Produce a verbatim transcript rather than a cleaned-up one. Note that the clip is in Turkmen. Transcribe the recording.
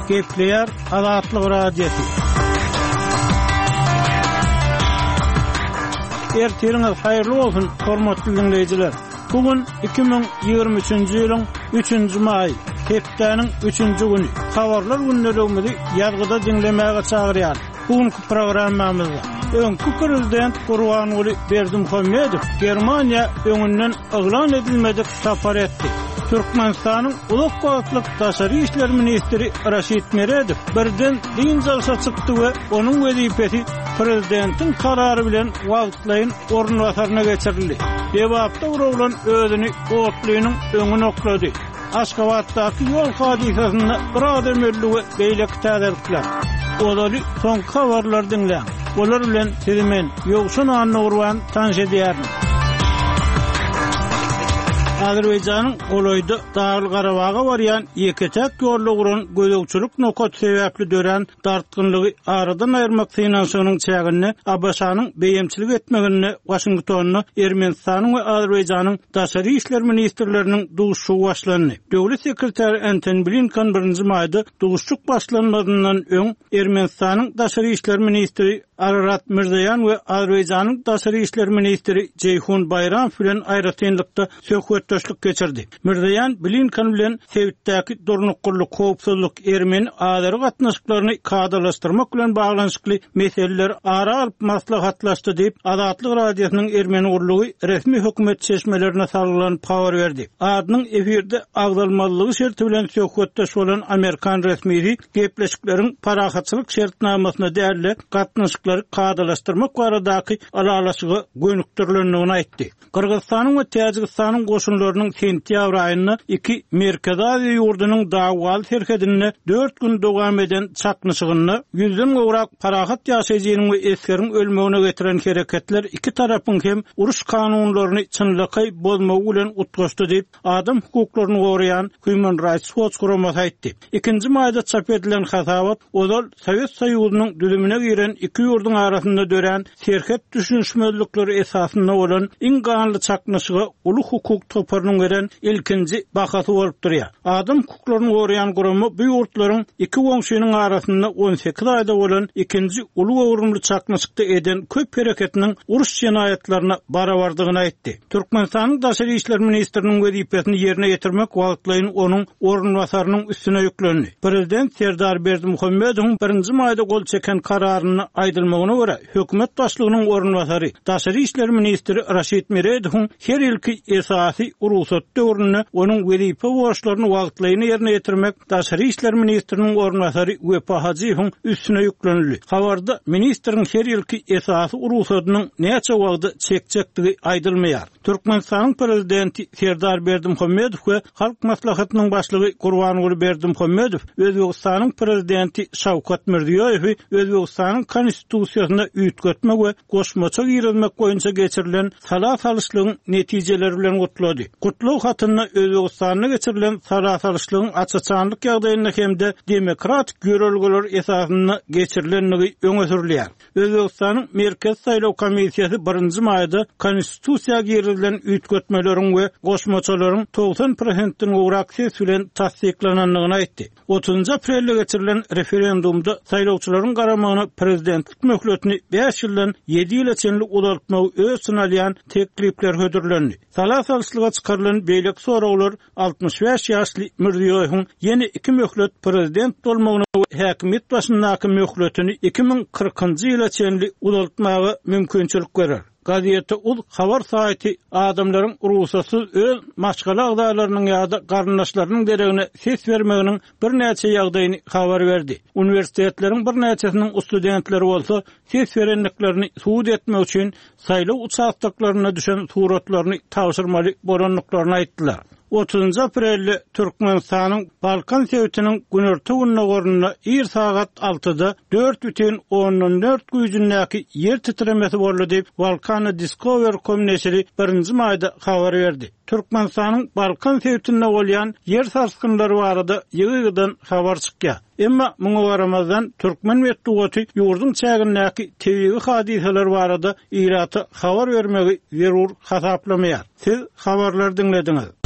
Gepleýär Azatlyk Radiosy. Ertiriňiz haýyrly bolsun, hormatly dinleýjiler. Bu gün iki müň ýigrimi üçünji ýylyň üçünji maýy, hepdäniň üçünji güni. Habarlar gündeligimizi ýazgyda diňlemäge çagyrýar. Bu günkü programmamyzda öňki prezident Gurbanguly Berdimuhamedow Germaniýa öňünden yglan edilmedik sapar etdi. Türkmenistanyň uzak wagtlyk daşary işler ministri Raşid Meredow birden dynç alşa çykdy we onuň wezipesi prezidentiň karary bilen wagtlaýyn orunbasaryna geçirildi. Lebapda bir oglan özüni otlynyň öňüne oklady. Aşgabatdaky ýol hadysasynda bir adam öldi we beýleki täzelikler. Ozaly soňky habarlary diňläň. Olar bilen sizi men Ýowşan Annagurban tanyş edýärin. Azerbaýjanyň golaýda Dagly Garabaga barýan ýeke-täk ýolda guran gözegçilik nokaty sebäpli dörän dartgynlygy aradan aýyrmak synanyşygynyň çäginde A B Ş-nyň beýemçilik etmeginde Waşingtonda Ermenistanyň we Azerbaýjanyň daşary işler ministrleriniň duşuşygy başlandy. Döwlet sekretary Antony Blinken birinji maýda duşuşyk başlanmazyndan öň Ermenistanyň daşary işler ministri Ararat Mirzoýan we Azerbaýjanyň daşary işler ministri Jeýhun Baýramow bilen aýratynlykda söhbetdeşlik geçirdi. Mirzoýan Blinken bilen sebitdäki durnuklylyk, howpsuzlyk, ermeni-azeri gatnaşyklaryny kadalaşdyrmak bilen baglanyşykly meseleler ara alyp maslahatlaşdy diýip, Azatlyk Radiosynyň ermeni gurlugy resmi hökümet çeşmelerine salgylanyp habar berdi. Adynyň efirde agzalmazlygy şerti bilen söhbetdeş bolan Amerikan resmisi gepleşikleriň parahatçylyk şertnamasyna däl-de gatnaşyklary kadalaşdyrmak baradaky ylalaşyga gönükdirilendigini aýtdy. Gyrgyzystanyň we Täjigistanyň goşunlarynyň sentýabr aýynda iki Merkezi Aziýa ýurdunyň dawwaly serhedinde dört gün dowam eden çaknyşygynda ýüzden gowrak parahat ýaşaýjynyň we esgeriň ölmegine getiren hereketler iki tarapyň hem uruş kanunlaryny çynlakaý bozmagy bilen utgaşdy diýip, adam hukuklaryny goraýan Human Rights Watch guramasy aýtdy. Ikinji maýda çap edilen hasabat ozal Sowet Soýuzynyň düzümine giren iki ýurduň arasynda dörän serhet düşünişmezlikleri esasynda bolan iň ganly çaknyşyga uly hukuk toparynyň beren ilkinji bahasy bolup durýar. Adam hukuklaryny goraýan gurama bu ýurtlaryň iki goňşynyň arasynda on sekiz aýda bolan ikinji uly göwrümli çaknyşykda eden köp hereketiniň uruş jenaýatlaryna barabardygyny aýtdy. Türkmenistanyň daşary işler ministriniň wezipesini ýerine ýetirmek wagtlaýyn onuň orunbasarynyň üstüne ýüklendi. Prezident Serdar Berdimuhamedowyň birinji maýda gol çeken kararyny aýdylmagyna görä, hökümet başlygynyň orunbasary, daşary işler ministri Raşid Meredowyň her ýylky esasy rugsat döwründe onuň wezipe borçlaryny wagtlaýyn ýerine ýetirmek daşary işler ministriniň orunbasary Wepa Hajyýewiň üstüne ýüklenildi. Habarda ministriň her ýylky esasy rugsadynyň näçe wagtda çekjekdigi aýdylmaýar. Türkmenistanyň prezidenti Serdar Berdimuhamedow we Halk Maslahatynyň başlygy Gurbanguly Berdimuhamedow Özbegistanyň prezidenti Şawkat Mirziýoýewi Özbegistanyň konstitusiýasyna üýtgetme we goşmaça girizmek boýunça geçirilen sala salyşlygyň netijeleri bilen gutlady. Gutlag hatynda Özbegistanda geçirilen sala salyşlygyň açaçanlyk ýagdaýynda hem-de demokratik ýörelgeler esasynda geçirilendigi öňe sürülýär. Özbegistanyň Merkez Saýlaw Komissiýasy birinji maýda konstitusiýa girizilen üýtgetmeleriň we goşmaçalaryň togsan prosentden gowrak ses bilen tassyklanandygyny aýtdy. Otuzynjy aprelde geçirilen referendumda saýlawçylaryň garamagyna prezidentlik möhletini bäş ýyldan ýedi ýyla çenli uzaltmagy öz içine alýan teklipler hödürlendi. Sala salyşlyga çykarylan beýleki soraglar altmyş bäş ýaşly Mirziýoýewiň ýene iki möhlet prezident bolmagyna we häkimiýet başyndaky möhletini iki müň kyrkynjy ýyla çenli uzaltmaga mümkinçilik berer. Gazete Uz habar saýty adamlaryň rugsatsyz öz maşgala agzalarynyň ýa-da garyndaşlarynyň deregine ses bermeginiň birnäçe ýagdaýyny habar berdi. Uniwersitetleriň birnäçesiniň studentleri bolsa ses berendiklerini subut etmek üçin saýlaw uçastoklarynda düşen suratlaryny tabşyrmaly bolandyklaryny aýtdylar. Otuzynjy aprelde Türkmenistanyň Balkan sebitiniň günorta gündogarynda ir sagat altyda dört bütin ondan dört güýjündäki ýer titremesi boldy diýip Balkana Discover com neşiri birinji maýda habar berdi. Türkmenistanyň Balkan sebitinde bolýan ýer sarsgynlary barada ýygy-ýygydan habar çykýar. Emma muňa garamazdan türkmen metbugaty ýurduň çägindäki tebigy hadysalar barada ilata habar bermegi zerur hasaplamaýar. Siz habarlar diňlediňiz.